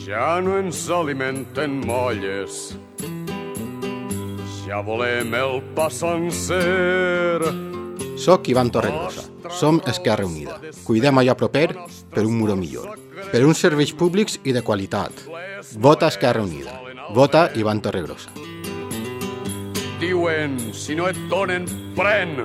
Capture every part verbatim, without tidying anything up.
Ja no ens alimenten molles, ja volem el pa sencer. Soc Ivan Torregrossa. Som Esquerra Unida. Cuidem allò proper per un muro millor. Per uns serveis públics i de qualitat. Vota Esquerra Unida. Vota Ivan Torregrossa. Diuen, si no et donen, pren.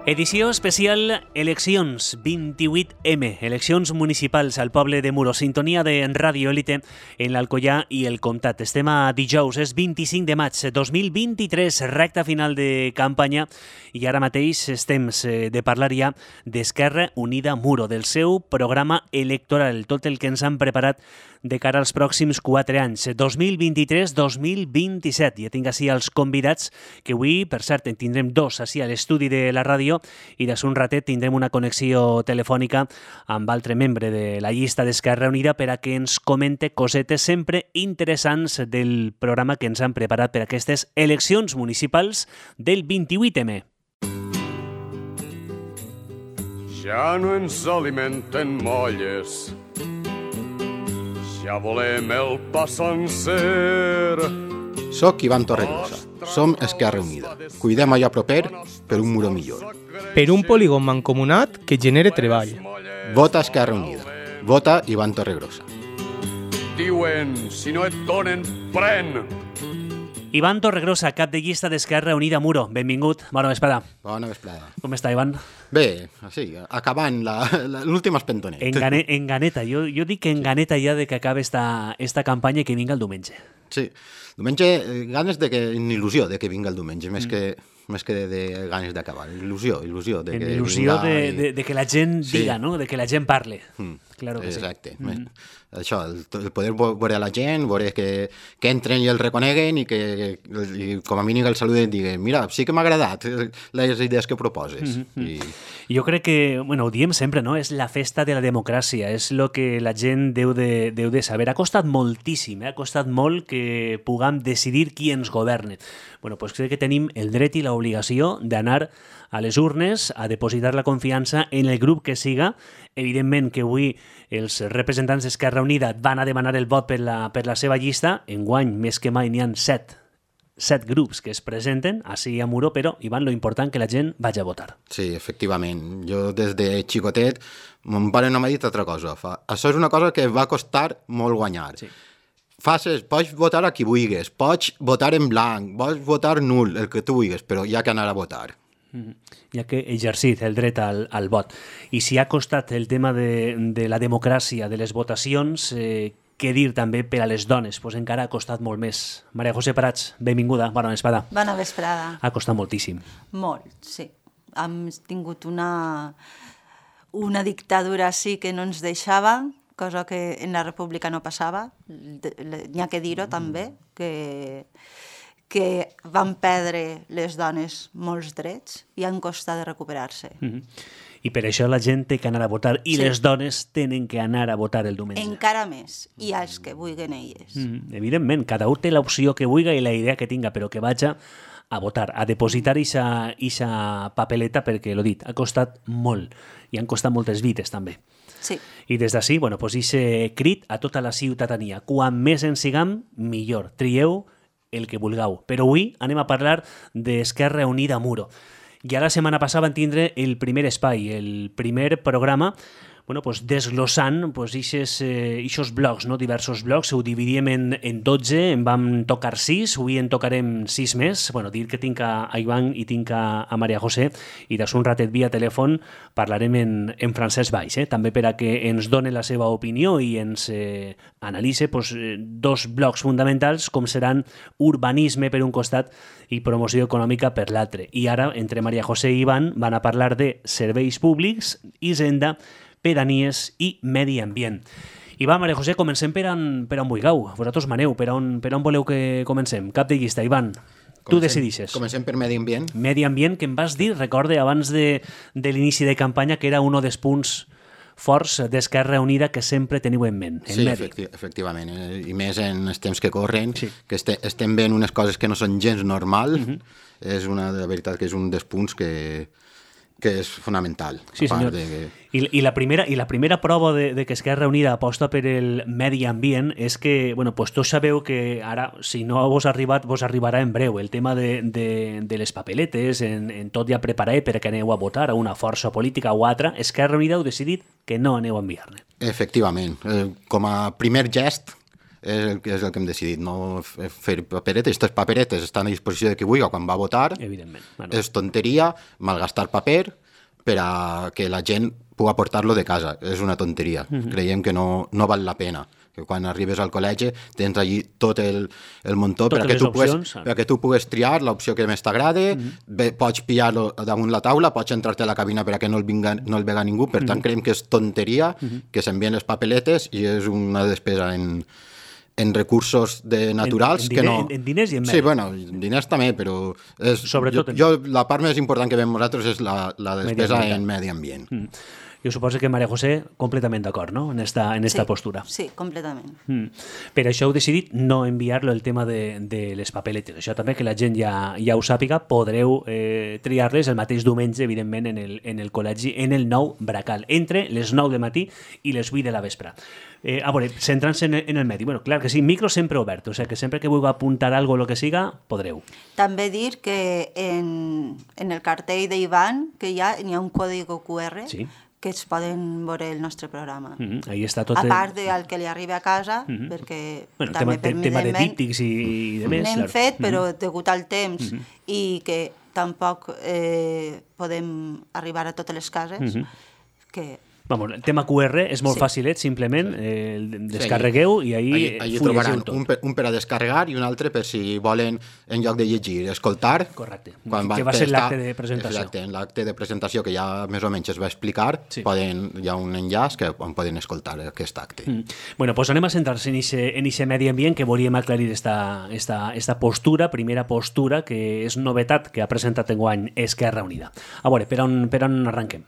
Edició especial Eleccions vint-i-vuit eme, eleccions municipals al poble de Muro, sintonia de Ràdio Élite en l'Alcoià i el Comtat. Estem a dijous, és vint-i-cinc de maig dos mil vint-i-tres, recta final de campanya, i ara mateix és temps de parlar ja d'Esquerra Unida Muro, del seu programa electoral, tot el que ens han preparat de cara als pròxims quatre anys, dos mil vint-i-tres dos mil vint-i-set. Ja tinc així els convidats, que avui, per cert, en tindrem dos així a l'estudi de la ràdio, i des un ratet tindrem una connexió telefònica amb altre membre de la llista d'Esquerra Unida per a que ens comente cosetes sempre interessants del programa que ens han preparat per aquestes eleccions municipals del vint-i-vuit eme. Ja no ens alimenten molles, ja volem el pa sencer. Soc Ivan Torregrossa. Som Esquerra Unida. Cuidem allò proper per un muro millor. Per un polígon mancomunat que genere treball. Vota Esquerra Unida. Vota Ivan Torregrossa. Diuen, si no et donen, pren. Ivan Torregrossa, cap de llista d'Esquerra Unida Muro. Benvingut. Bona vesprada. Bona vesprada. Com està, Ivan? Bé, sí, acabant l'últim espentonet. En, gane, en ganeta. Jo, jo dic que en ganeta ja de que acabe esta, esta campanya i que vinga el diumenge. Sí, diumenge, ganes de que, en il·lusió de que vinga el diumenge, més mm. que, més que de, de ganes d'acabar. Il·lusió, il·lusió. De en que il·lusió de, i... de, de que la gent sí. diga, no? De que la gent parle. Mm. Claro que exacte. sí. Mm. Això, el, el poder veure la gent, veure que, que entren i el reconeguen i que i com a mínim el saluden i diguen, mira, sí que m'ha agradat les idees que proposes. Mm-hmm. I... Jo crec que, bueno, ho diem sempre, no? És la festa de la democràcia, és el que la gent deu de, deu de saber. Ha costat moltíssim, eh? Ha costat molt que puguem decidir qui ens governa. Bueno, doncs crec que tenim el dret i l'obligació d'anar a les urnes a depositar la confiança en el grup que siga. Evidentment que avui els representants d'Esquerra Unida van a demanar el vot per la, per la seva llista. Enguany, més que mai, n'hi ha set, set grups que es presenten així a Muro, però, Ivan, lo important que la gent vagi a votar. Sí, efectivament. Jo des de xicotet, mon pare no m'ha dit altra cosa. Fa, això és una cosa que va costar molt guanyar. Sí. Faces, pots votar a qui vulguis, pots votar en blanc, pots votar nul, el que tu vulguis, però hi ha que anar a votar. Ja que exercit el dret al, al vot. I si ha costat el tema de, de la democràcia, de les votacions, eh, què dir també per a les dones? Pues encara ha costat molt més. Maria José Prats, benvinguda, bona vesprada. Bona vesprada. Ha costat moltíssim. Molt, sí. Hem tingut una, una dictadura sí que no ens deixava, cosa que en la república no passava. N'hi ha que dir-ho també, que... que van perdre les dones molts drets i han costat de recuperar-se. Mm-hmm. I per això la gent té que anar a votar i sí. Les dones tenen que anar a votar el diumenge. Encara més, i els que vulguin elles. Mm-hmm. Evidentment, cada un té l'opció que vulgui i la idea que tinga, però que vaja a votar, a depositar ixa papeleta, perquè, l'ho dit, ha costat molt i han costat moltes vides també. Sí. I des d'ací, bueno, pues ixe crit a tota la ciutadania. Quan més en siguem, millor. Trieu el que vulgueu. Però avui anem a parlar d'Esquerra Unida Muro. Ja la setmana passada van tindre el primer espai, el primer programa, bueno, pues desglossant pues, ixes, eh, ixos blocs, no? Diversos blocs, ho dividíem en, en dotze, en vam tocar sis, avui en tocarem sis més. Bueno, dir que tinc a, a Ivan i tinc a, a Maria José, i des un ratet via telèfon parlarem en, en francès baix, eh? També per a que ens done la seva opinió i ens eh, analitze pues, dos blocs fonamentals com seran urbanisme per un costat i promoció econòmica per l'altre. I ara, entre Maria José i Ivan, van a parlar de serveis públics, hisenda, pedanies i medi ambient. I va, Maria José, comencem per on, per on vulgueu. Vosaltres maneu, per on, per on voleu que comencem? Cap de llista, Ivan. Comencem, tu decidixes. Comencem per medi ambient. Medi ambient, que em vas dir, recorde, abans de, de l'inici de campanya, que era un dels punts forts d'Esquerra Unida que sempre teniu en ment. En sí, medi. efecti efectivament, eh, i més en els temps que corren, Sí. que este, estem veient unes coses que no són gens normal, Mhm. uh -huh. és una, de veritat que és un dels punts que, que és fonamental. Sí, a part senyor. de... I, i, la primera, I la primera prova de, de que Esquerra Unida aposta per el medi ambient és que, bueno, pues tots sabeu que ara, si no vos ha arribat, vos arribarà en breu el tema de, de, de les papeletes, en, en tot ja preparat perquè aneu a votar a una força política o altra. Esquerra Unida heu decidit que no aneu a enviar-ne. Efectivament. Eh, com a primer gest, és el, que és el que hem decidit, no f- fer paperetes. Aquestes paperetes estan a disposició de qui vulgui quan va a votar. Evidentment. Bueno, És tonteria malgastar paper per a que la gent pugui portar-lo de casa. És una tonteria. Uh -huh. Creiem que no, no val la pena. Que quan arribes al col·legi tens allí tot el, el muntó per a, Totes que tu les pugues, opcions. per a que tu pugues triar l'opció que més t'agrada, uh -huh. pots pillar-lo damunt la taula, pots entrar-te a la cabina per a que no el, vinga, no el vega ningú. Per tant, uh -huh. creiem que és tonteria uh -huh. que s'envien les papeletes i és una despesa en en recursos de naturals en, en que diner, no... en, en diners i en medi. Sí, bueno, en diners també, però és, Sobretot jo, en- jo, la part més important que veiem nosaltres és la, la despesa Mediambiental. en medi ambient. Mm. Jo suposo que Maria José completament d'acord, no?, en esta, en esta sí, postura. Sí, completament. Mm. Per això heu decidit no enviar-lo el tema de, de les papeletes. Això també que la gent ja, ja ho sàpiga, podreu eh, triar-les el mateix diumenge, evidentment, en el, en el col·legi, en el nou Bracal, entre les nou de matí i les vuit de la vespre. Eh, a veure, centrant-se en, en el medi. Bueno, clar que sí, micro sempre obert, o sigui que sempre que vulgui apuntar algo o lo que siga, podreu. També dir que en, en el cartell d'Ivan que hi ha, hi ha un codi Q R Sí. que es poden veure el nostre programa. Mm -hmm. Ahí està tot... A el- part del que li arriba a casa, Mm -hmm. perquè Bueno, també tema, te- tema de permanentment díptics i, i de més. n'hem clar. fet, però Mm -hmm. degut al temps i que tampoc eh, podem arribar a totes les cases, Mhm. que Vamos, el tema Q R és molt Sí. fàcilet, simplement eh, el descarregueu i ahí, Allí, allí fullegeu trobaran tot. un per, un per a descarregar i un altre per si volen, en lloc de llegir, escoltar. Correcte. Quan Que va ser estar- l'acte de presentació. Exacte, en l'acte de presentació que ja més o menys es va explicar, Sí. poden, hi ha un enllaç que on poden escoltar aquest acte. Mm. Bueno, pues anem a centrar-se en ixe, en ixe medi ambient que volíem aclarir esta, esta, esta postura, primera postura, que és novetat que ha presentat enguany Esquerra Unida. A veure, per on, per on arranquem?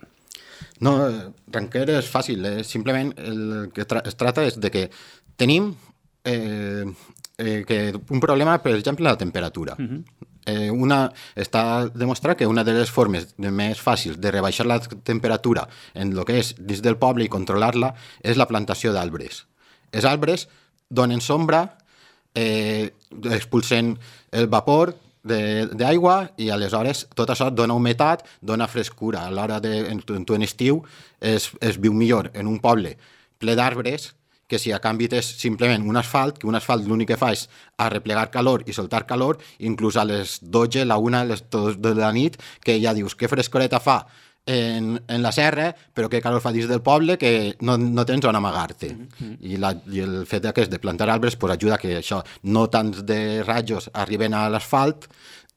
No, eh, Ranquer és fàcil, eh? Simplement el que tra es tracta és de que tenim eh, eh, que un problema, per exemple, la temperatura. Uh -huh. eh, una, està demostrat que una de les formes de més fàcils de rebaixar la temperatura en el que és dins del poble i controlar-la és la plantació d'arbres. Els arbres donen sombra, eh, expulsen el vapor d'aigua i aleshores tot això dona humitat, dona frescura. A l'hora de, en, en, en estiu es, es viu millor en un poble ple d'arbres que si a canvi és simplement un asfalt, que un asfalt l'únic que fa és arreplegar calor i soltar calor, inclús a les dotze, la una, les dos de la nit, que ja dius que frescoreta fa en, en la serra, però que calor fa dins del poble que no, no tens on amagar-te. Mm-hmm. I, la, I el fet aquest de plantar arbres pues, ajuda que això, no tants de rajos arriben a l'asfalt,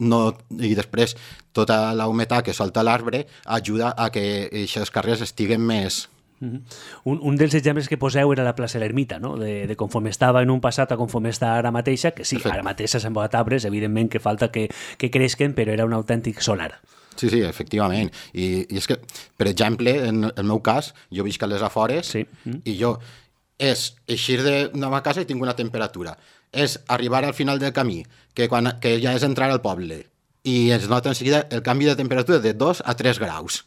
no, i després tota la humitat que solta l'arbre ajuda a que aquests carrers estiguen més... Mm-hmm. Un, un dels exemples que poseu era la plaça de l'Ermita, no? de, de conforme estava en un passat a conforme està ara mateixa, que sí, Perfecte. ara mateix s'han embotat arbres, evidentment que falta que, que creixen, però era un autèntic solar. Sí, sí, efectivament. I, i és que, per exemple, en el meu cas, jo visc a les afores Sí. Mm. i jo és eixir de la meva casa i tinc una temperatura. És arribar al final del camí, que, quan, que ja és entrar al poble, i es nota en seguida el canvi de temperatura de dos a tres graus.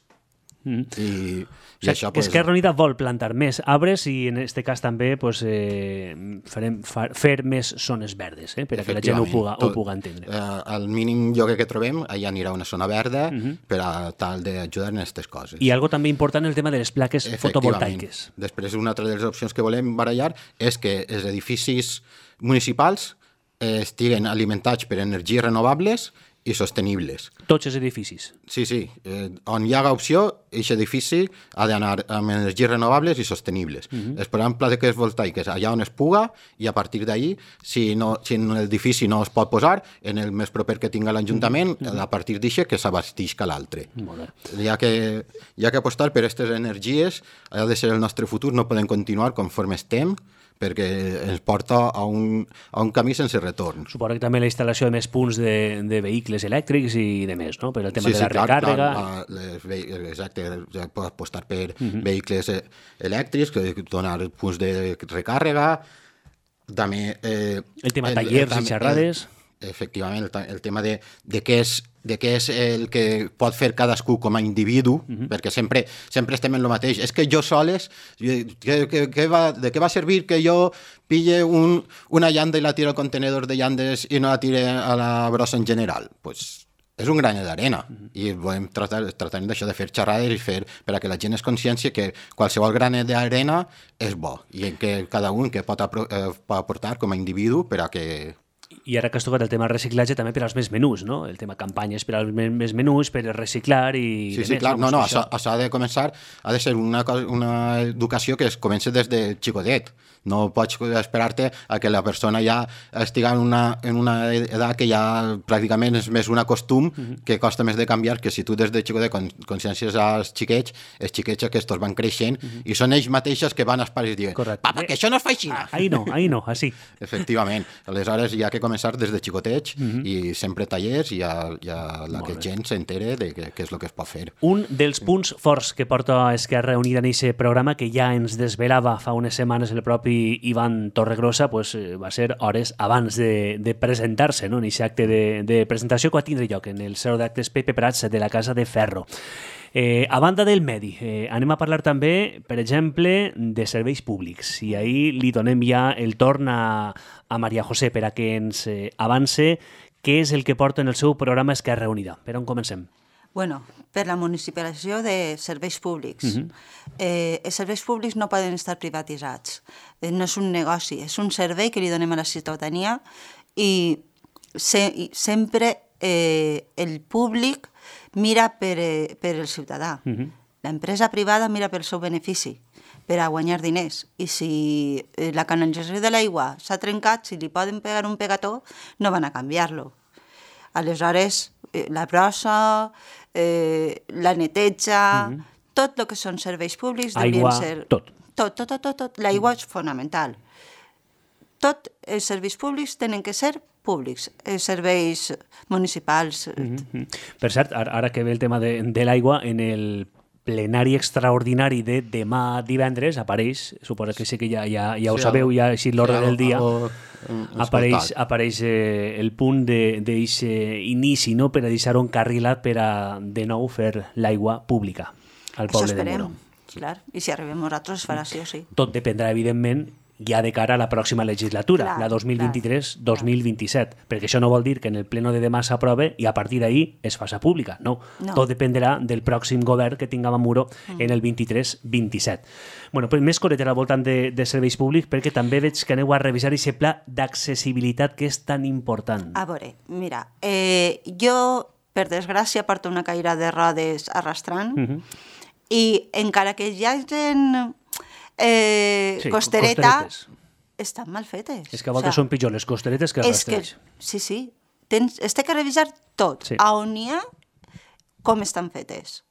Mm. I, O sigui, i això, pues, Esquerra Unida vol plantar més arbres i en aquest cas també pues, eh, farem, fa, fer més zones verdes, eh, per a que la gent ho puga, ho puga entendre. Eh, al mínim lloc que trobem, allà anirà una zona verda Mhm. per a tal d'ajudar en aquestes coses. I algo també important el tema de les plaques Efectivament. fotovoltaiques. Després, una altra de les opcions que volem barallar és que els edificis municipals eh, estiguen alimentats per energies renovables i sostenibles. Tots els edificis. Sí, sí. Eh, on hi haga opció, aquest edifici ha d'anar amb energies renovables i sostenibles. Uh -huh. Es posaran plaques voltaiques allà on es puga i a partir d'ahir, si, no, si en l'edifici no es pot posar, en el més proper que tinga l'Ajuntament, uh -huh. a partir d'això que s'abastisca l'altre. Molt bé. Hi ha que, hi ha que apostar per aquestes energies, ha de ser el nostre futur, no podem continuar conforme estem, perquè ens porta a un, a un camí sense retorn. Suposo que també la instal·lació de més punts de, de vehicles elèctrics i de més, no? Per el tema sí, de sí, la clar, recàrrega... Clar, les, exacte, ja pots apostar per uh -huh. vehicles elèctrics, que donar punts de recàrrega, també... Eh, el tema el, tallers el, i xerrades... El, efectivament, el, el tema de, de què és de què és el que pot fer cadascú com a individu, uh -huh. perquè sempre sempre estem en el mateix. És que jo soles, que, que, que va, de què va servir que jo pille un, una llanda i la tire al contenedor de llandes i no la tire a la brossa en general? Pues és un granet d'arena, uh -huh. i volem tratar, tratar d'això, de fer xerrades i fer per a que la gent es consciència que qualsevol granet d'arena és bo, i que cada un que pot, apro eh, pot aportar com a individu per a que... I ara que has tocat el tema reciclatge també per als més menús, no? El tema campanyes per als més menús, per reciclar i... Sí, sí, més, clar, no, no, això, això ha de començar, ha de ser una, una educació que es comença des de xicotet. No pots esperar-te a que la persona ja estigui en una, en una edat que ja pràcticament és més un costum uh-huh. que costa més de canviar, que si tu des de xicotet consciències als xiquets, els xiquets aquests van creixent uh-huh. i són ells mateixos que van als pares i diuen, papa, que això no es fa així. Ahí no, ahí no, així. Efectivament. Aleshores hi ha que començar des de xicotets uh-huh. i sempre tallers i a, i a la Molt que bé. gent s'entere de què és el que es pot fer. Un dels punts forts que porta Esquerra Unida en aquest programa, que ja ens desvelava fa unes setmanes el propi Ivan Torregrossa, pues, va ser hores abans de, de presentar-se, no? en aquest acte de, de presentació que va tindre lloc en el Saló d'Actes Pepe Prats de la Casa de Ferro. Eh, a banda del medi, eh, anem a parlar també, per exemple, de serveis públics. I ahir li donem ja el torn a, a Maria José per a que ens eh, avance què és el que porta en el seu programa Esquerra Unida. Per on comencem? Bueno, per la municipalització de serveis públics. Uh-huh. eh, els serveis públics no poden estar privatitzats. Eh, no és un negoci, és un servei que li donem a la ciutadania i, se, i sempre eh, el públic mira per, eh, per el ciutadà. Uh-huh. L'empresa privada mira pel seu benefici, per a guanyar diners. I si eh, la canalització de l'aigua s'ha trencat, si li poden pegar un pegató, no van a canviar-lo. Aleshores, eh, la brossa, eh, la neteja, uh-huh. tot el que són serveis públics Aigua, deurien ser... tot. Tot, tot, tot, tot, tot. L'aigua és fonamental. Tots els serveis públics tenen que ser públics, els serveis municipals. Uh-huh. Per cert, ara que ve el tema de, de l'aigua, en el plenari extraordinari de demà divendres apareix, suposo que sí que ja, ja, ja ho sí, sabeu, ja així l'ordre sí, del dia, apareix, apareix eh, el punt d'aquest inici, no?, per a deixar un carrilat per a de nou fer l'aigua pública al poble de Muro. Clar, i si arribem nosaltres es farà sí o sí. Tot dependrà, evidentment, ja de cara a la pròxima legislatura, clar, la dos mil vint-i-tres dos mil vint-i-set, perquè això no vol dir que en el pleno de demà s'aprove i a partir d'ahir es faça pública, no. no. Tot dependrà del pròxim govern que tinguem a Muro mm. en el vint-i-tres vint-i-set. Bueno, pues més coretera al voltant de, de serveis públics, perquè també veig que aneu a revisar aquest pla d'accessibilitat que és tan important. A veure, mira, eh, jo, per desgràcia, porto una caïra de rodes arrastrant mm-hmm. i encara que hi hagi eh, sí, costereta, costeretes. Estan mal fetes. És que a voltes o sea, són pitjor les costeretes que els rastrells. Sí, sí. Tens, es té que revisar tot. Sí. A on n'hi ha, com estan fetes.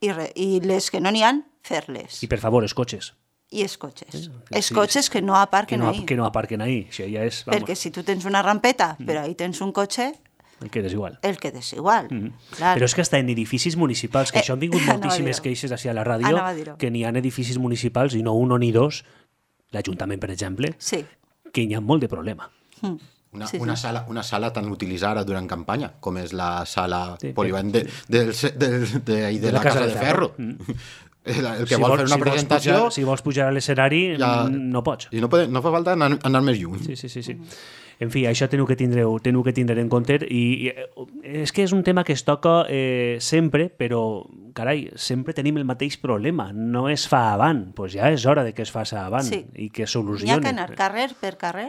I, re, i les que no n'hi ha, fer-les. I per favor, els cotxes. I els cotxes. Sí, els sí, cotxes que no aparquen que no, ahí. Que no aparquen ahí. Això ja és, vamos. Perquè si tu tens una rampeta, mm. però ahí tens un cotxe... El quedes igual. El quedes igual. Mm-hmm. Clar. Però és que està en edificis municipals, que eh, això han vingut moltíssimes queixes així a la ràdio, a que n'hi ha edificis municipals, i no un o ni dos, l'Ajuntament, per exemple, sí. que hi ha molt de problema. Mm. Una, sí, sí. una, sala, una sala tan utilitzada durant campanya, com és la sala sí, polivalent de, de, de, de, de, de, de, de la Casa de Ferro. Mm. El, el que si vol, vol fer una si presentació... Vols pujar, si vols pujar a l'escenari, ja, no pots. I no, pot, no fa falta anar, anar més lluny. Sí, sí, sí. sí. En fi, això teniu que tindre, teniu que tindre en compte i, i és que és un tema que es toca eh, sempre, però, carai, sempre tenim el mateix problema. No es fa avant, doncs pues ja és hora de que es faci avant sí. i que solucioni. N'hi ha que anar carrer per carrer,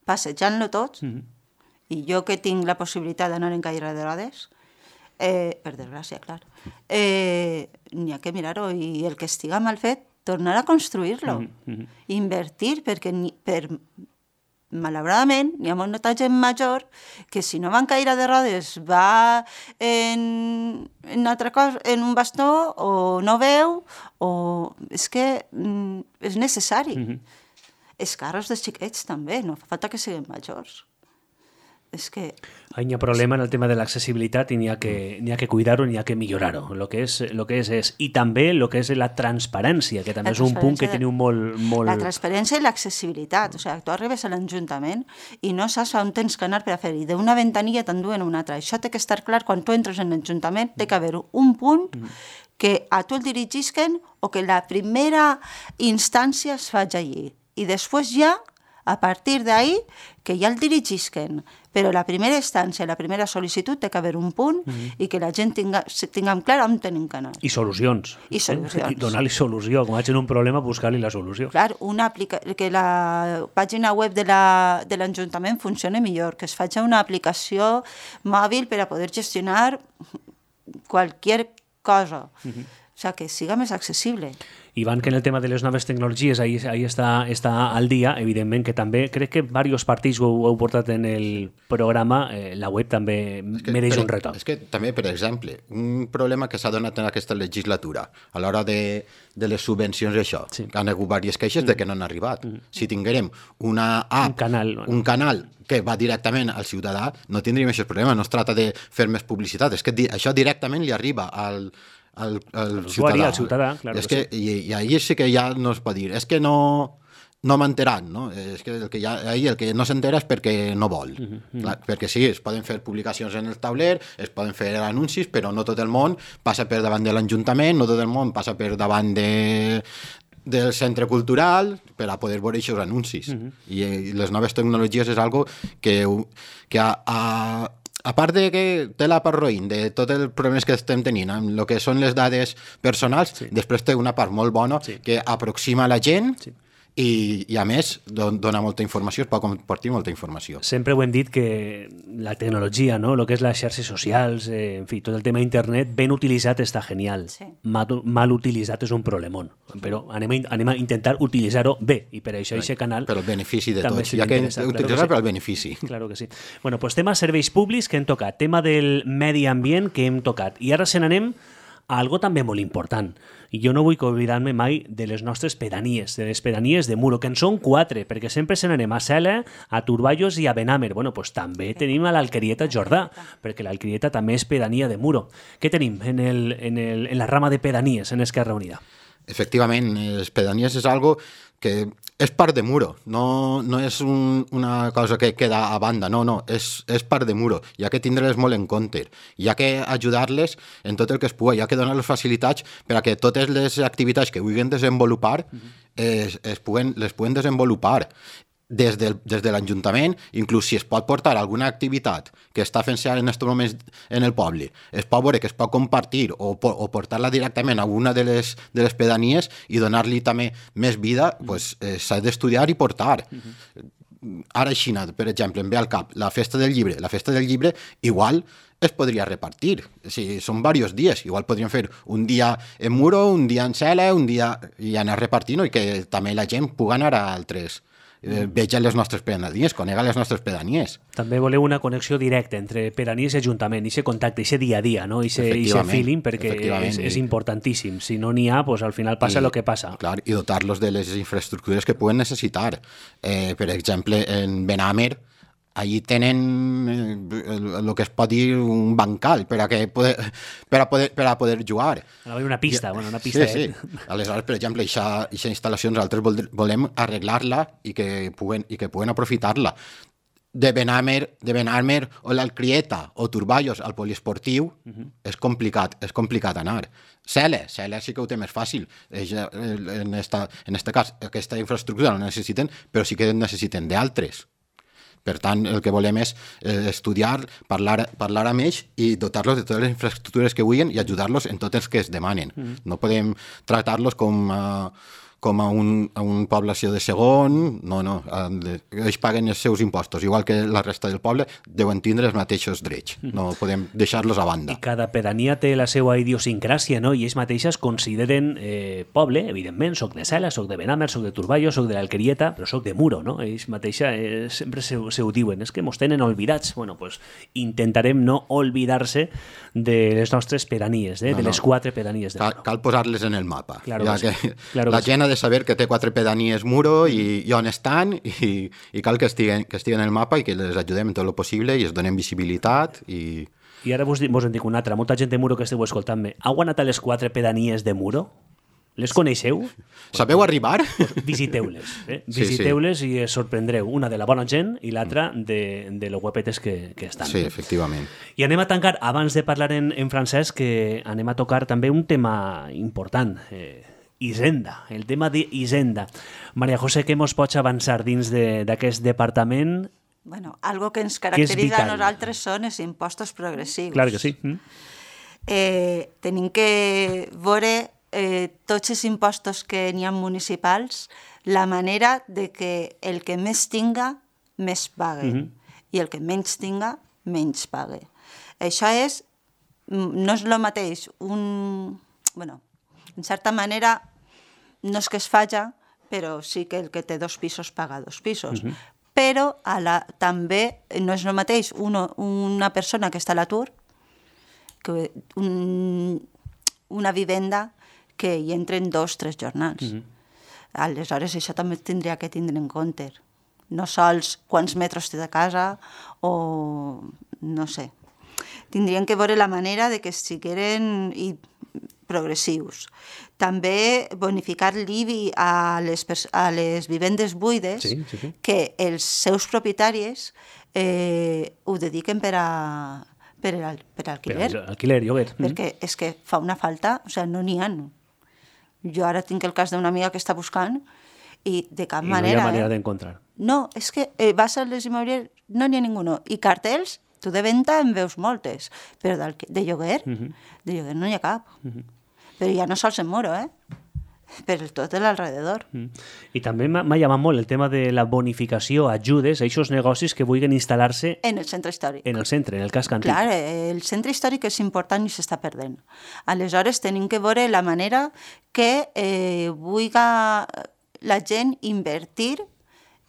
passejant-lo tots, mm-hmm. i jo que tinc la possibilitat d'anar en caire de rodes, eh, per desgràcia, clar, eh, n'hi ha que mirar-ho i el que estiga mal fet, tornar a construir-lo, mm-hmm. invertir, perquè ni, per... malauradament, n'hi ha molta gent major que si no va en caire de rodes va en, en, altra cosa, en un bastó o no veu o és que mm, és necessari. Mm-hmm. els carros dels xiquets també, no fa falta que siguin majors. És que... Hi ha problema en el tema de l'accessibilitat i n'hi ha que, n'hi ha que cuidar-ho, n'hi ha que millorar-ho. Lo que és, lo que és, és. I també el que és la transparència, que també és un punt que teniu molt, molt... La transparència i l'accessibilitat. O sigui, tu arribes a l'Ajuntament i no saps on tens que anar per a fer-hi. D'una ventanilla t'enduen a una altra. Això té que estar clar quan tu entres en l'Ajuntament, té que haver un punt que a tu el dirigisquen o que la primera instància es faig allí. I després ja, a partir d'ahí, que ja el dirigisquen. Però la primera instància, la primera sol·licitud, té que haver un punt mm-hmm. i que la gent tinga, tinguem clar on tenim que anar. I solucions. I solucions. Eh? I donar-li solució. Com vaig en un problema, buscar-li la solució. Clar, una aplica... que la pàgina web de la, de l'Ajuntament funcioni millor, que es faci una aplicació mòbil per a poder gestionar qualsevol cosa. Mm-hmm. O sigui, que siga més accessible. Ivan, que en el tema de les noves tecnologies ahí, ahí està, està al dia, evidentment que també, crec que diversos partits ho, ho heu portat en el programa, eh, la web també que, mereix per, un retorn. És que també, per exemple, un problema que s'ha donat en aquesta legislatura, a l'hora de, de les subvencions i això, sí. que han hagut diverses queixes mm. de que no han arribat. Mm. Si tinguérem una app, un canal, bueno. un canal que va directament al ciutadà, no tindríem aquest problema, no es tracta de fer més publicitat, és que di- això directament li arriba al al, al ciutadà. Al ciutadà, claro és que que, sí. I, I ahí sí que ja no es pot dir, és que no, no m'enteran, no? És que el que ja, ahí el que no s'entera és perquè no vol. Mm-hmm. Clar, perquè sí, es poden fer publicacions en el tauler, es poden fer anuncis, però no tot el món passa per davant de l'Ajuntament, no tot el món passa per davant de del centre cultural per a poder veure aquests anuncis. Mm-hmm. I, I les noves tecnologies és algo que, que a, a a part de que té la part roïn de tots els problemes que estem tenint amb el que són les dades personals, sí. després té una part molt bona sí. que aproxima la gent sí. i, i a més don, dona molta informació, es pot compartir molta informació. Sempre ho hem dit que la tecnologia, no? El que és les xarxes socials, eh, en fi, tot el tema internet, ben utilitzat està genial. Sí. Mal, mal utilitzat és un problemón. Però anem a, anem a intentar utilitzar-ho bé i per això aquest canal... Per el benefici de tots, ja que utilitzar claro sí. per al benefici. Claro que sí. Bueno, pues tema serveis públics que hem tocat, tema del medi ambient que hem tocat. I ara se n'anem a algo també molt important. I jo no vull oblidar-me mai de les nostres pedanies, de les pedanies de Muro, que en són quatre, perquè sempre se n'anem a Cela, a Turballos i a Benàmer. Bueno, pues també tenim a l'Alquerieta Jordà, perquè l'Alquerieta també és pedania de Muro. Què tenim en, el, en, el, en la rama de pedanies en Esquerra Unida? Efectivament, les pedanies és algo que és part de Muro, no, no és un, una cosa que queda a banda, no, no, és, és part de Muro, hi ha que tindre-les molt en compte, hi ha que ajudar-les en tot el que es pugui, hi ha que donar-les facilitats per a que totes les activitats que vulguin desenvolupar es, es puguen, les puguen desenvolupar des, del, des de l'Ajuntament, inclús si es pot portar alguna activitat que està fent-se en aquests moments en el poble, es pot veure que es pot compartir o, o portar-la directament a una de les, de les pedanies i donar-li també més vida, pues, eh, s'ha d'estudiar i portar. Uh-huh. Ara a Xina, per exemple, em ve al cap la festa del llibre. La festa del llibre igual es podria repartir. Si són diversos dies. Igual podríem fer un dia en Muro, un dia en Cela, un dia i anar repartint i que també la gent pugui anar a altres. Eh, veja les nostres pedanies, conega les nostres pedanies. També voleu una connexió directa entre pedanies i Ajuntament, i aquest contacte, i aquest dia a dia, no? I aquest feeling, perquè és, és importantíssim. Si no n'hi ha, pues, al final passa el que passa. Clar, i dotar-los de les infraestructures que puguen necessitar. Eh, per exemple, en Benàmer, allí tenen el que es pot dir un bancal per a, que poder, per a, poder, per a poder jugar. Ha una pista, bueno, una pista. Sí, sí. Aleshores, per exemple, aquesta instal·lació nosaltres volem arreglar-la i que puguen, i que puguen aprofitar-la. De Benàmer, de Benàmer o l'Alcrieta o Turballos al poliesportiu uh-huh. és complicat, és complicat anar. Cela, Cela sí que ho té més fàcil. En esta, en este cas, aquesta infraestructura no necessiten, però sí que necessiten d'altres. Per tant, el que volem és eh, estudiar, parlar, parlar amb ells i dotar-los de totes les infraestructures que vulguin i ajudar-los en tot els que es demanen. Mm. No podem tractar-los com, uh, com a, un, a un població de segon, no, no. Uh, ells paguen els seus impostos, igual que la resta del poble, deuen tindre els mateixos drets. Mm. No podem deixar-los a banda. I cada pedania té la seva idiosincràsia, no? I ells mateixes consideren eh, poble, evidentment, soc de Cela, soc de Benàmer, soc de Turballos, soc de l'Alquerieta, però soc de Muro, no? Ells mateixa eh, sempre se, se ho diuen, és que mos tenen olvidats. Bueno, pues intentarem no oblidar-se de les nostres pedanies, eh? No, de les quatre pedanies de Muro. Cal, cal posar-les en el mapa. Claro ja que que sí. Claro la que gent sí. ha de saber que té quatre pedanies Muro i, i on estan i, i cal que estiguen, que estiguen en el mapa i que les ajudem en tot el possible i es donem visibilitat i... I ara vos, vos en dic una altra. Molta gent de Muro que esteu escoltant-me. Heu anat a les quatre pedanies de Muro? Les coneixeu? Sabeu arribar? Pues visiteu-les. Eh? Sí, Visiteu-les sí. I es sorprendreu. Una de la bona gent i l'altra de, de lo guapetes que, que estan. Sí, efectivament. I anem a tancar, abans de parlar en, en francès, que anem a tocar també un tema important. Eh, Hisenda, el tema d'Hisenda. Maria José, què mos pots avançar dins d'aquest de, departament? Bueno, algo que ens caracteritza a nosaltres són els impostos progressius. Clar que sí. Mm. Eh, tenim que veure eh, tots els impostos que n'hi ha municipals, la manera de que el que més tinga, més pague, mm-hmm. i el que menys tinga, menys pague. Això és, no és el mateix, un... Bueno, en certa manera, no és que es faci, però sí que el que té dos pisos paga dos pisos. Uh-huh. Però a la, també no és el mateix uno, una persona que està a l'atur que un, una vivenda que hi entren dos, tres jornals. Uh-huh. Aleshores, això també tindria que tindre en compte. No sols quants metres té de casa o no sé. Tindrien que veure la manera de que sigueren i progressius. També bonificar l'I B I a les, a les vivendes buides, sí, sí, sí. que els seus propietaris eh, ho dediquen per a per, al, per alquiler. Per alquiler, lloguer. Perquè mm. és que fa una falta, o sigui, no n'hi ha. Jo ara tinc el cas d'una amiga que està buscant i de cap I manera... no hi ha manera eh? d'encontrar. No, és que eh, vas a les immobiliàries, no n'hi ha ningú. I cartells, tu de venda en veus moltes, però de lloguer, uh-huh. de lloguer no n'hi ha cap. Uh-huh. Però ja no sols en Muro, eh? Per tot l'alrededor. Mm. I també m'ha llamat molt el tema de la bonificació, ajudes a aquests negocis que vulguin instal·lar-se... En el centre històric. En el centre, en el casc antic. Clar, el centre històric és important i s'està perdent. Aleshores, tenim que veure la manera que eh, vulgui la gent invertir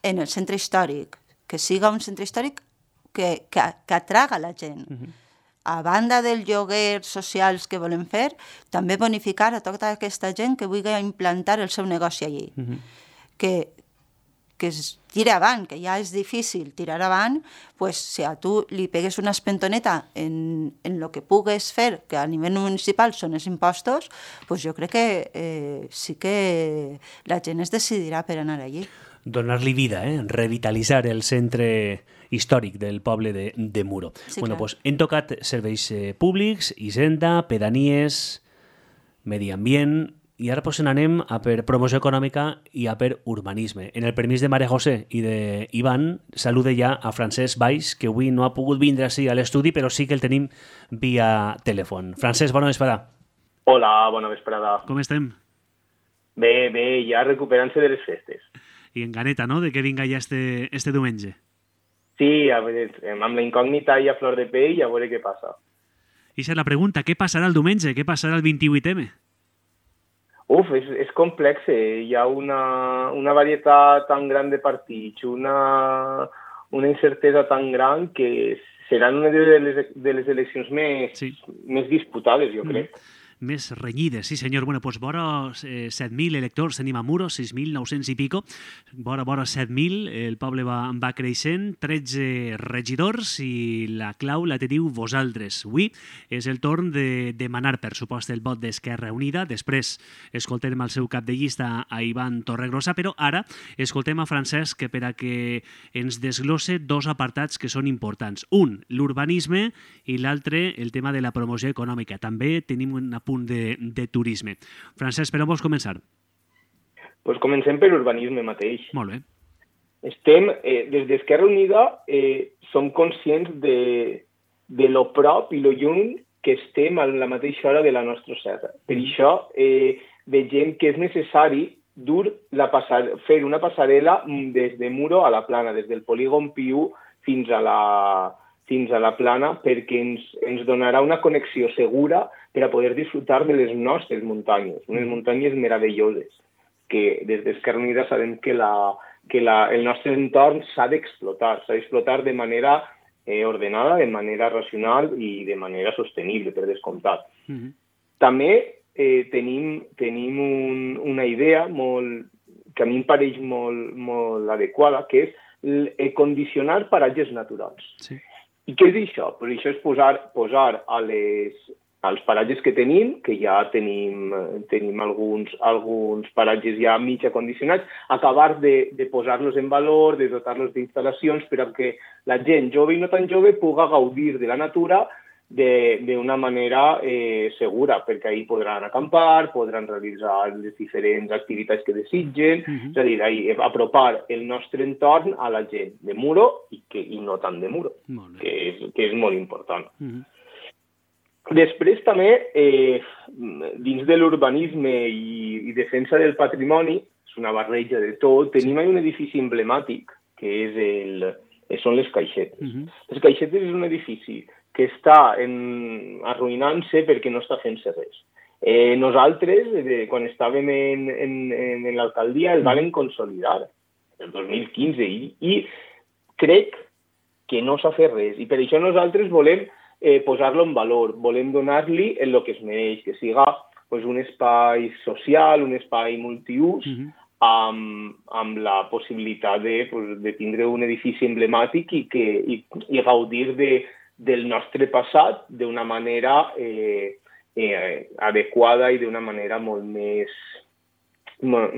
en el centre històric, que siga un centre històric que, que, que atraga la gent. Mm-hmm. A banda dels lloguers socials que volem fer, també bonificar a tota aquesta gent que vulgui implantar el seu negoci allí. Uh-huh. Que, que es tira avant, que ja és difícil tirar avant, pues, si a tu li pegues una espentoneta en, en lo que pugues fer, que a nivell municipal són els impostos, pues jo crec que eh, sí que la gent es decidirà per anar allí. Donar-li vida, eh? Revitalitzar el centre històric del poble de, de Muro. Sí, bueno, clar. pues, hem tocat serveis eh, públics, Hisenda, pedanies, medi ambient, i ara pues, anem a per promoció econòmica i a per urbanisme. En el permís de Maria José i d'Ivan, salude ja a Francesc Valls, que avui no ha pogut vindre així a l'estudi, però sí que el tenim via telèfon. Francesc, bona vesprada. Hola, bona vesprada. Com estem? Bé, bé, ja recuperant-se de les festes. I en ganeta, no?, de que vinga ja este, este diumenge. Sí, a veure, amb la incògnita i a flor de pell, a veure què passa. I és la pregunta, què passarà el diumenge? Què passarà el vint-i-vuit eme? Uf, és, és complex, eh? Hi ha una, una varietat tan gran de partits, una, una incertesa tan gran que seran una de les, de les eleccions més, sí. més disputades, jo crec. Mm. Més renyides, sí senyor. Bueno, doncs vora eh, set mil electors tenim a Muro, sis mil nou-cents i pico. Vora, vora set mil, el poble va, va creixent, tretze regidors i la clau la teniu vosaltres. Avui és el torn de demanar, per supost, el vot d'Esquerra Unida. Després escoltem el seu cap de llista, a Ivan Torregrossa, però ara escoltem a Francesc per a que ens desglosse dos apartats que són importants. Un, l'urbanisme, i l'altre, el tema de la promoció econòmica. També tenim una punt de, de turisme. Francesc, per on vols començar? Pues comencem per urbanisme mateix. Molt bé. Estem, eh, des d'Esquerra Unida, eh, som conscients de, de lo prop i lo lluny que estem a la mateixa hora de la nostra serra. Per mm. això eh, vegem que és necessari dur la passar, fer una passarel·la des de Muro a la Plana, des del polígon Piu fins a la fins a la Plana, perquè ens, ens donarà una connexió segura per a poder disfrutar de les nostres muntanyes, unes muntanyes meravelloses, que des d'Esquerra Unida sabem que, la, que la, el nostre entorn s'ha d'explotar, s'ha d'explotar de manera eh, ordenada, de manera racional i de manera sostenible, per descomptat. Mm-hmm. També eh, tenim, tenim un, una idea molt, que a mi em pareix molt, molt adequada, que és el condicionar paratges naturals. Sí. I què és això? Pues això és posar, posar a les, als paratges que tenim, que ja tenim, tenim alguns, alguns paratges ja mig acondicionats, acabar de, de posar-los en valor, de dotar-los d'instal·lacions perquè la gent jove i no tan jove puga gaudir de la natura d'una manera eh, segura, perquè ahir podran acampar, podran realitzar les diferents activitats que desitgen, uh-huh. És a dir, ahir, apropar el nostre entorn a la gent de Muro i, que, i no tant de Muro, que és, que és molt important. Uh-huh. Després també, eh, dins de l'urbanisme i, i defensa del patrimoni, és una barreja de tot, tenim un edifici emblemàtic, que és el, són les Caixetes. Uh-huh. Les Caixetes és un edifici que està en, arruïnant-se perquè no està fent-se res. Eh, nosaltres, eh, quan estàvem en, en, en l'alcaldia, el vam consolidar el dos mil quinze i, i crec que no s'ha fet res. I per això nosaltres volem eh, posar-lo en valor, volem donar-li el que es mereix, que siga pues, un espai social, un espai multiús, uh-huh. amb, amb la possibilitat de, pues, de tindre un edifici emblemàtic i, que, i, i gaudir de del nostre passat d'una manera eh, eh, adequada i d'una manera molt més, molt,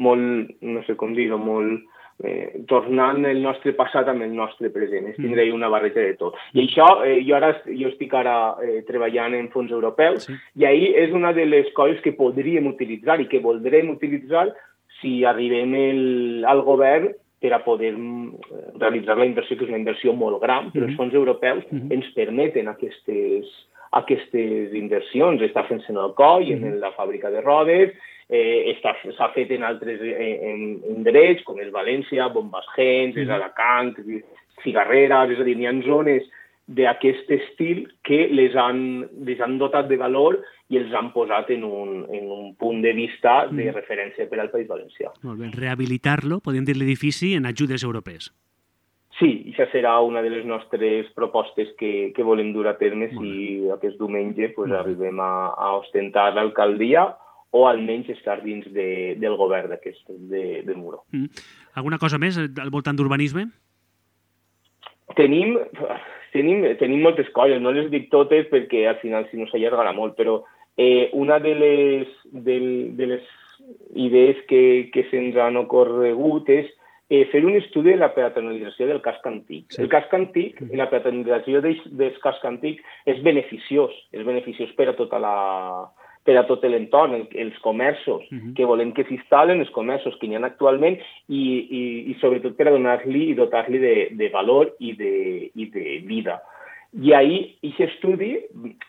molt no sé com dir-ho, molt eh, tornant el nostre passat amb el nostre present. És tindre una barreja de tot. I això, eh, jo ara jo estic ara eh, treballant en fons europeus, sí. I ahir és una de les coses que podríem utilitzar i que voldrem utilitzar si arribem el, al govern per a poder realitzar la inversió, que és una inversió molt gran, però els fons europeus mm-hmm. ens permeten aquestes, aquestes inversions. Està fent-se en el coll, mm-hmm. en la fàbrica de rodes, eh, s'ha fet en altres indrets, com és València, Bombasgens, mm-hmm. és Alacant, Figarreres, és a dir, hi ha zones d'aquest estil que les han, les han dotat de valor i els han posat en un, en un punt de vista de referència per al País Valencià. Molt bé. Rehabilitar-lo, podem dir l'edifici, en ajudes europees. Sí, això serà una de les nostres propostes que, que volem dur a terme si aquest diumenge pues, arribem a, a ostentar l'alcaldia o almenys estar dins de, del govern d'aquest, de, de Muro. Mm. Alguna cosa més al voltant d'urbanisme? Tenim, tenim, tenim moltes coses, no les dic totes perquè al final si no s'allargarà molt, però eh, una de les, de, de les idees que, que se'ns han ocorregut és eh, fer un estudi de la peatonalització del casc antic. Sí. El casc antic, la peatonalització del, del casc antic és beneficiós, és beneficiós per a tota la... per a tot l'entorn, els comerços uh-huh. que volem que s'instal·len, els comerços que hi ha actualment i, i, i sobretot per a donar-li i dotar-li de, de valor i de, i de vida. I ahir aquest estudi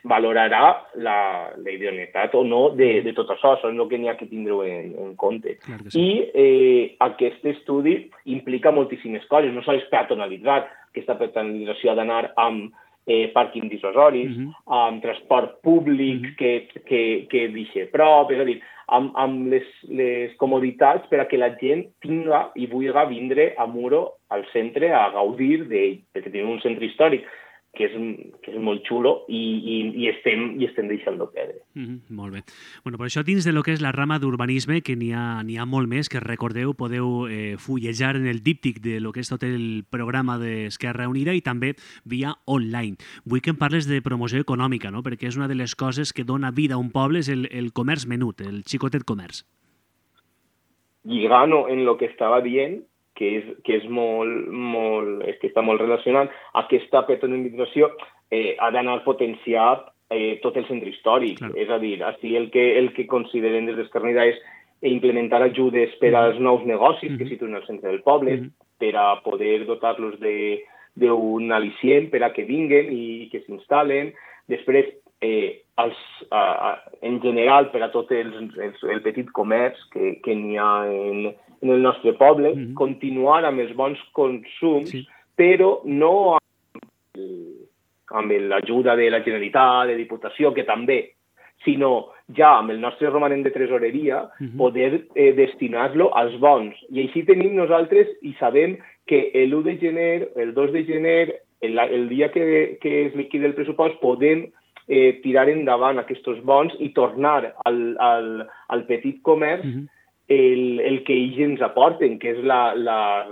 valorarà la, la idoneïtat o no de, de tot això, això és el que n'hi ha que tindre en, en compte. Sí. I eh, aquest estudi implica moltíssimes coses, no sols peatonalitzar, aquesta peatonalització ha d'anar amb Eh, pàrquing dissuasoris, uh-huh. amb transport públic uh-huh. que, que, que deixi prop, és a dir, amb, amb les, les comoditats per a que la gent tinga i vulgui vindre a Muro al centre a gaudir d'ell, perquè tenim un centre històric que és, que és molt xulo i, i, i, estem, i estem deixant-lo perdre. Mm-hmm, molt bé. Bueno, per això dins de lo que és la rama d'urbanisme, que n'hi ha, n'hi ha molt més, que recordeu, podeu eh, fullejar en el díptic de lo que és tot el programa d'Esquerra Unida i també via online. Vull que em parles de promoció econòmica, no? Perquè és una de les coses que dona vida a un poble, és el, el comerç menut, el xicotet comerç. Lligant en lo que estava dient, que és, que és molt, molt, és que està molt relacionat, aquesta peatonalització eh, ha d'anar potenciat eh, tot el centre històric. Claro. És a dir, així el que, el que consideren des d'Esquerra Unida és implementar ajudes per als nous negocis mm-hmm. que situen al centre del poble, mm-hmm. per a poder dotar-los d'un al·licient per a que vinguen i que s'instal·len. Després, eh, els, a, a, en general, per a tot els, els, el petit comerç que, que n'hi ha en, en el nostre poble, mm-hmm. continuar amb els bons consums, sí. però no amb, amb l'ajuda de la Generalitat, de Diputació, que també, sinó ja amb el nostre romanent de tresoreria, mm-hmm. poder eh, destinar-lo als bons. I així tenim nosaltres i sabem que l'u de gener, el dos de gener, el, el dia que, que es liquida el pressupost, podem eh, tirar endavant aquests bons i tornar al, al, al petit comerç uh -huh. el, el que ells ens aporten, que és la, la,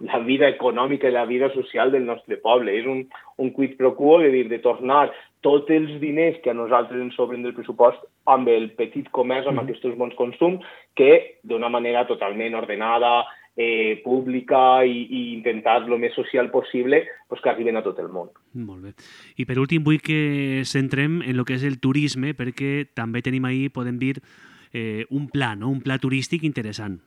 la vida econòmica i la vida social del nostre poble. És un, un quid pro quo, de dir, de tornar tots els diners que a nosaltres ens sobren del pressupost amb el petit comerç, amb uh -huh. aquests bons consums, que d'una manera totalment ordenada, eh, pública i, i intentar el més social possible, pues, que arriben a tot el món. Molt bé. I per últim vull que centrem en el que és el turisme, perquè també tenim ahí, podem dir, eh, un pla, no? Un pla turístic interessant.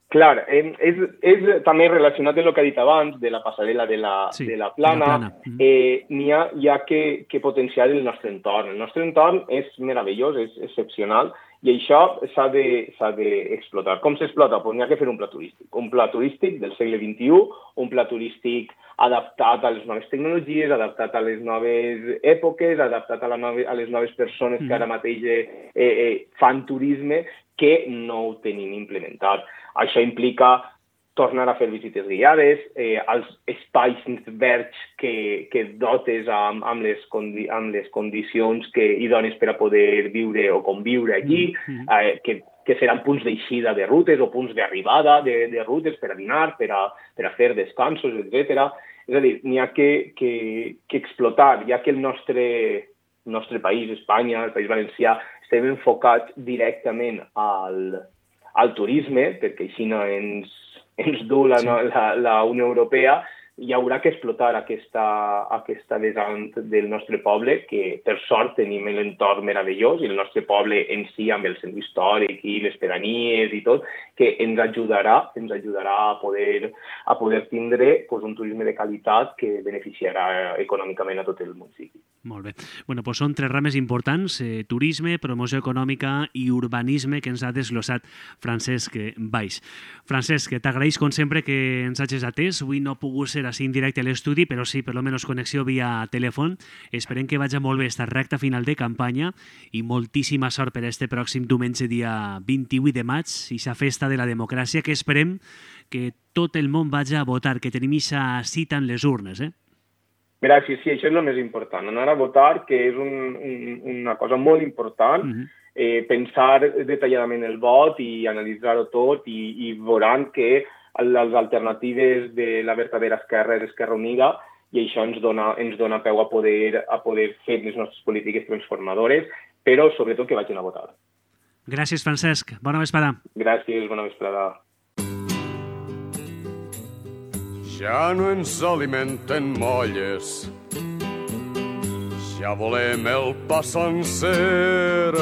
Clar, eh, és, és també relacionat amb el que ha dit abans, de la passarel·la de la, sí, de la Plana. De la Plana. Eh, n'hi ha, hi ha que, que potenciar el nostre entorn. El nostre entorn és meravellós, és excepcional, i això s'ha d'explotar. Com s'explota? Pues n'hi ha que fer un pla turístic. Un pla turístic del segle vint-i-u, un pla turístic adaptat a les noves tecnologies, adaptat a les noves èpoques, adaptat a, la nove, a les noves persones que ara mateix eh, eh, fan turisme, que no ho tenim implementat. Això implica tornar a fer visites guiades, eh, als espais verds que, que dotes amb, amb, les condi amb les condicions que idones per a poder viure o conviure allí, mm-hmm. eh, que, que seran punts d'eixida de rutes o punts d'arribada de, de rutes per a dinar, per a, per a fer descansos, etcètera. És a dir, n'hi ha que, que, que explotar, ja que el nostre, el nostre país, Espanya, el País Valencià, estem enfocats directament al, al turisme, perquè així no ens, ens du la, sí. no, la, la Unió Europea, hi haurà que explotar aquesta, aquesta vessant del nostre poble, que per sort tenim l'entorn meravellós, i el nostre poble en si, amb el centre històric i les pedanies i tot, que ens ajudarà, ens ajudarà a poder, a poder tindre pues, un turisme de qualitat que beneficiarà econòmicament a tot el municipi. Molt bé. Bueno, doncs són tres rames importants, eh, turisme, promoció econòmica i urbanisme, que ens ha desglossat Francesc Baix. Francesc, t'agraeix com sempre que ens hagis atès. Avui no ha pogut ser així en directe a l'estudi, però sí, per almenys connexió via telèfon. Esperem que vagi molt bé esta recta final de campanya i moltíssima sort per este pròxim diumenge, dia vint-i-vuit de maig, i sa festa de la democràcia, que esperem que tot el món vagi a votar, que tenim aquesta cita en les urnes, eh? Gràcies, sí, això és el més important, anar a votar, que és un, un, una cosa molt important, uh-huh. eh, pensar detalladament el vot i analitzar-ho tot, i, i veuran que les alternatives de la verdadera esquerra és Esquerra Unida, i això ens dona, ens dona peu a poder, a poder fer les nostres polítiques transformadores, però sobretot que vagin a votar. Gràcies, Francesc. Bona vesprada. Gràcies, bona vesprada. Ja no ens alimenten molles, ja volem el pa sencer.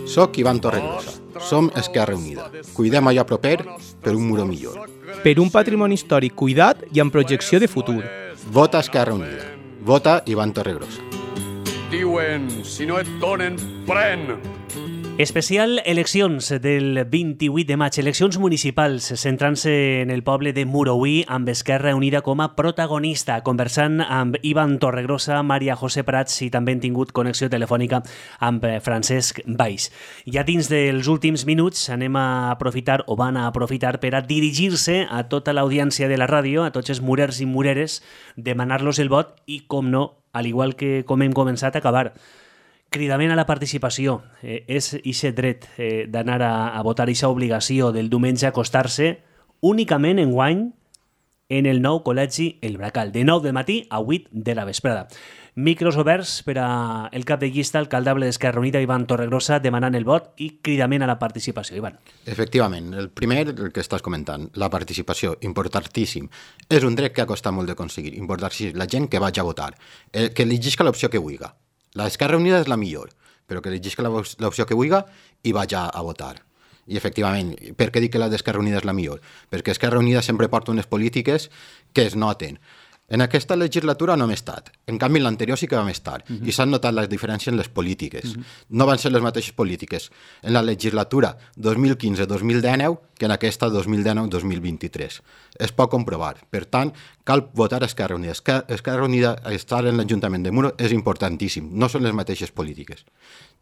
Soc Ivan Torregrosa. Som Esquerra Unida. Cuidem allò proper per un muro millor. Per un patrimoni històric cuidat i amb projecció de futur. Vota Esquerra Unida. Vota Ivan Torregrosa. Diuen, si no et donen, pren! Especial eleccions del vint-i-vuit de maig, eleccions municipals, centrant-se en el poble de Muroví, amb Esquerra Unida com a protagonista, conversant amb Ivan Torregrosa, Maria José Prats, i també hem tingut connexió telefònica amb Francesc Baix. Ja dins dels últims minuts anem a aprofitar, o van a aprofitar, per a dirigir-se a tota l'audiència de la ràdio, a tots els murers i mureres, demanar-los el vot i, com no, al igual que com hem començat, a acabar. Cridament a la participació. Eh, és ixe dret eh, d'anar a, a votar, ixa obligació del diumenge a acostar-se únicament enguany en el nou col·legi El Bracal, de nou del matí a vuit de la vesprada. Micros oberts per a el cap de llista alcaldable d'Esquerra Unida, Ivan Torregrosa, demanant el vot i cridament a la participació. Ivan. Efectivament, el primer, el que estàs comentant, la participació, importantíssim. És un dret que ha costat molt d'aconseguir, importantíssim, la gent que vagi a votar, el, que elegisca l'opció que vulgui. L'Esquerra Unida és la millor, però que elegisca l'opció que vulgui i vagi a votar. I, efectivament, per què dic que la d'Esquerra Unida és la millor? Perquè Esquerra Unida sempre porta unes polítiques que es noten. En aquesta legislatura no hem estat. En canvi, en l'anterior sí que vam estar. Uh-huh. I s'han notat les diferències en les polítiques. Uh-huh. No van ser les mateixes polítiques en la legislatura dos mil quinze dos mil dinou que en aquesta dos mil dinou dos mil vint-i-tres. Es pot comprovar. Per tant, cal votar Esquerra Unida. Esquerra Unida, estar en l'Ajuntament de Muro és importantíssim. No són les mateixes polítiques.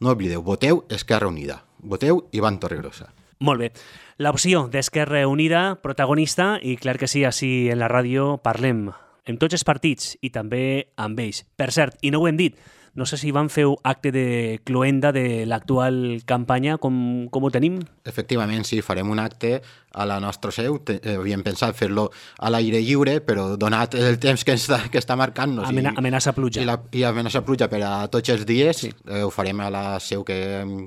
No oblideu, voteu Esquerra Unida. Voteu Ivan Torregrosa. Molt bé. L'opció d'Esquerra Unida, protagonista, i clar que sí, així en la ràdio parlem amb tots els partits i també amb ells. Per cert, i no ho hem dit, No sé si van fer acte de cloenda de l'actual campanya, com, com ho tenim? Efectivament, sí, farem un acte a la nostra seu. Te, eh, havíem pensat fer-lo a l'aire lliure, però donat el temps que està, que està marcant-nos Amena, i, amenaça pluja. i, la, i amenaça pluja per a tots els dies, sí. eh, ho farem a la seu que hem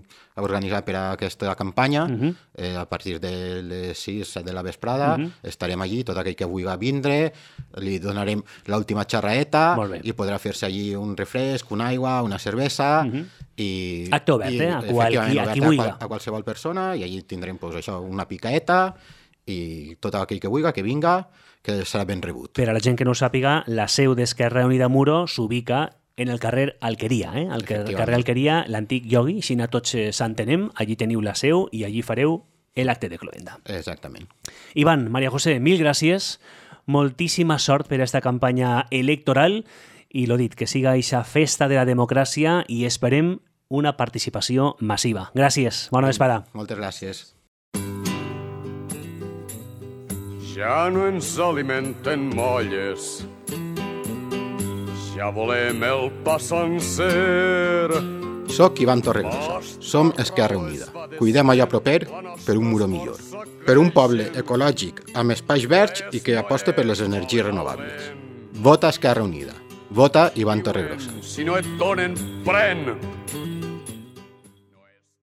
organitzat per a aquesta campanya, uh -huh. eh, a partir de les sis, set de la vesprada, uh -huh. estarem allí, tot aquell que vulgui vindre, li donarem l'última xerraeta i podrà fer-se allí un refresc, una aigua, una cervesa, uh -huh. i... Acte obert, i, eh? A, qual, qui, a qui vulgui. A, a qualsevol persona, i allí tindrem pues, això, una picaeta, i tot aquell que vulgui, que vinga, que serà ben rebut. Per a la gent que no ho sàpiga, la seu d'Esquerra Unida Muro s'ubica en el carrer Alqueria, eh? El carrer Alqueria, l'antic Yogi, així a tots s'entenem, allí teniu la seu i allí fareu l'acte de cloenda. Exactament. Ivan, María José, mil gràcies, moltíssima sort per a esta campanya electoral i lo dit, que siga eixa festa de la democràcia i esperem una participació massiva. Gràcies, bona vesprada. Moltes gràcies. Ja no ens alimenten molles, ja volem el pa sencer. Soc Ivan Torregrossa. Som Esquerra Unida. Cuidem allò proper per un muro millor. Per un poble ecològic amb espais verds i que aposta per les energies renovables. Vota Esquerra Unida. Vota Ivan Torregrossa. Si no et donen, pren!